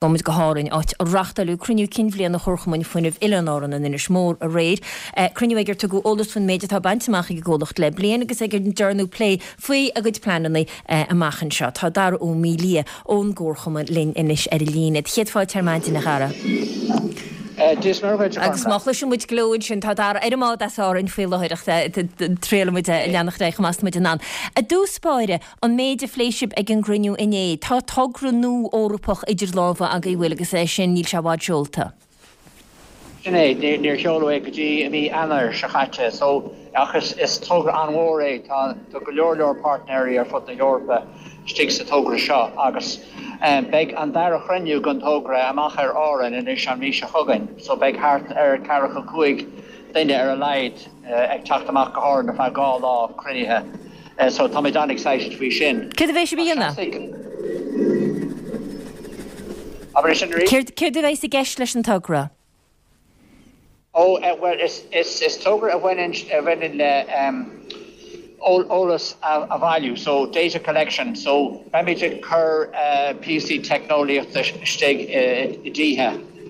Gabhfaimid go hÁrainn, áit a reáchtáileadh cruinniú cinn bhliana Chomharchumann Fuinnimh Oileáin Árann in Inis Mór aréir. Cruinniú ag ar tugadh eolas faoin méid atá bainte amach ag an gcomhlacht le bliain agus ag ar ndearnadh plé faoi a gcuid pleananna amach anseo. Tá Dara Ó Maolaodha ón gComharchumann linn anois ar an líne. Céad fáilte ar maidin, a Dhara. Dia is Muire dhuit, a Agus má Chormac. chloiseann muid gleo ansin, tá Dara ar an mbád as Árainn faoi láthair ach triailfidh muid leanacht ar aghaidh chomh maith is muid in ann. I dtús báire, An méid a phléigh sibh ag an gcruinniú inné, tá togra nua Eorpach idir lámha agaibh, an bhfuil, agus é sin, níl sé i bhfad seolta. Sin é, níor sheoladh é go dtí i mí Eanáir seo chaite, so, ach is togra an-mhór é, tá go leor leor páirtnéirí ar fud na hEorpa istigh sa togra seo agus beidh an dara chruinniú den togra amach ar Árainn anois an mhí seo chugainn, so beidh thart ar ceathracha 5 duine ar a laghad ag teacht amach go hÁrainn ar feadh dhá lá cruinnithe. So táimid an-excited faoi sin. Céard a bheidh sibh a dhéanamh? Abair é sin arís. Céard, céard a bheidh i gceist leis an togra? Ó, bhuel, is, is, is togra a bhaineann, a bhaineann le eolas a bhailiú, so data collection, so beimid ag cur píosaí teicneolaíochta istigh i dtithe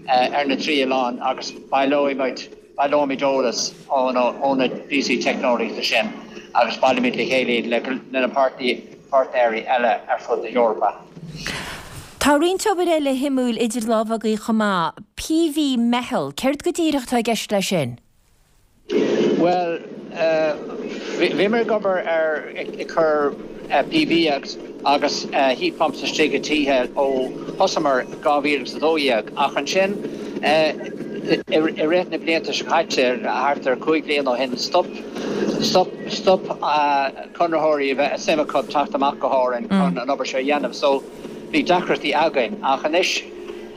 ar na trí oileán agus baileoidh muid, Baileoimid eolas ó na píosaí teicneolaíochta sin agus baileoimid le chéile iad le na páirtnéirí eile ar fud na hEorpa. Tá roinnt obair eile shuimiúil idir lámha agaibh chomh maith. PV Meitheal, céard go díreach atá i gceist leis sin? Bhuel, bhíomar ag obair ar ag cur PV agus heat pumps istigh i dtithe ó thosaíomar 2012 ach ansin i rith na blianta seo caite, thart ar 5 bliana ó shin, stop stop stop conraitheoirí a bheith suim acu teacht amach go hÁrainn chun an obair seo a dhéanamh so bhí deacrachtaí againn ach anois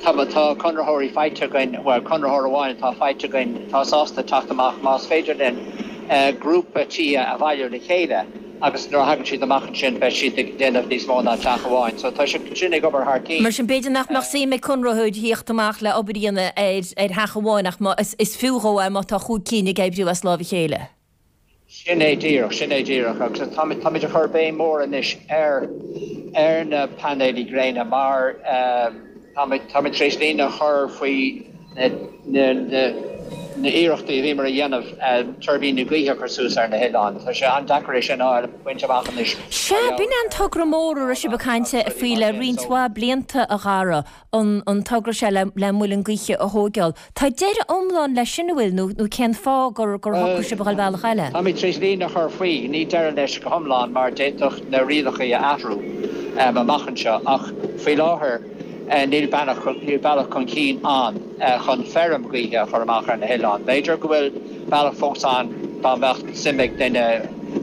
tá tá conraitheoirí faighte againn, bhuel conraitheoir amháin atá faighte againn atá sásta teacht amach más féidir linn grúpa tithe a bhailiú le chéile. agus nuair a thagann siad amach ansin beidh siad ag déanamh níos mó ná teach amháin. So tá siad sin ag obair thar cinn. Mar sin, b'fhéidir nach mbeadh suim ag conraitheoir thíocht amach le obair a dhéanamh ar ar theach amháin ach má is is fiú dhó é má tá chúig cinn ag oibriú as láimh a chéile. Sin é díreach, sin é díreach agus táimid táimid ag cur béim mór anois ar ar na painéilí gréine mar táimid táimid tar éis líne a chur faoi na hiarrachtaí a bhíomar a dhéanamh tuirbíní gaoithe a chur suas ar na hoileáin. Tá sé an-deacair é sin a fháil, a bhaint amach anois Sea, b'in é an togra mór a raibh sibh ag caint faoi le roinnt mhaith blianta, a Dhara, an togra seo le muileann gaoithe a thóigeáil. Tá deireadh iomlán leis sin, an bhfuil, nó cén fáth gur shocraigh sibh a dhul bealach eile? Táimid tar éis líne a chur faoi, ní deireadh leis go hiomlán mar d'fhéadfadh na rialacha a athrú amach anseo ach faoi láthair, Níl bealach chun cinn ann chun feirm ghaoithe a chur amach ar na hoileáin. B'fhéidir go bhfuil bealach fós ann dá mbeadh suim ag duine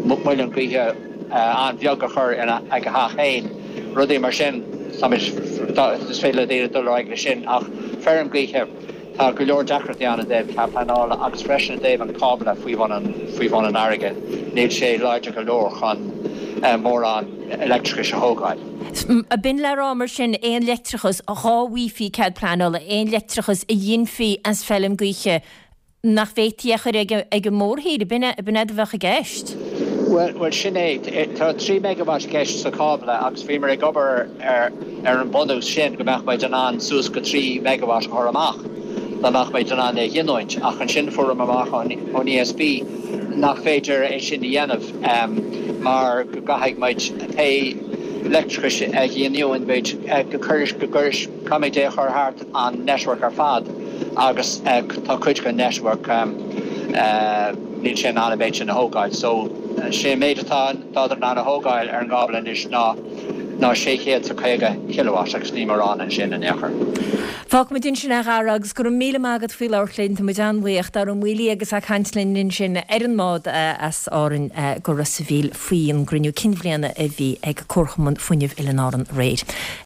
muileann gaoithe an-bheag a chur ag a theach féin, rudaí mar sin, is féidir le daoine dul ar aghaidh leis sin ach feirm ghaoithe, Tá go leor deacrachtaí ann i dtaobh cead pleanála agus freisin i dtaobh an cábla faoi bhun an faoi bhun an fharraige. Níl sé láidir go leor chun mórán leictreachais a thógáil. B'in le rá mar sin, aon leictreachas, dhá bhfaighfí cead pleanála, aon leictreachas a ghinfí as feilm gaoithe, nach bhféadfaí é a chur ag an mórthír, b'in é a bheadh i gceist? Bhuel, sin é. Tá 3 megawatt i gceist sa chábla agus bhíomar ag obair ar an mbunús sin go mbeadh muid in ann suas go 3 megawatt a chur amach dá mbeadh muid in ann é a ghiniúint. Ach ansin fuaireamar amach ón ESB nach féidir é sin a dhéanamh mar go gcaithfidh muid pé leictreachas a ghiniúnn muid go caithfimid é a chur thart an network ar fad agus tá cuid den network níl sé in ann an méid sin a thógáil. So sé an méid atá tádar in ann a thógáil ar an gcábla anois ná ná 650 kilowatt agus ní mórán ansin in aon chor. Fágfaimid ansin é a Dhara agus go raibh míle maith agat faoi labhairt linn, tá muid an-bhuíoch. Dara Ó Maolaodha agus é ag caint linn ansin ar an mbád as Árainn go Ros a' Mhíl faoin gcruinniú cinn bhliana a bhí ag Comharchumann Fuinnimh Oileáin Árann aréir.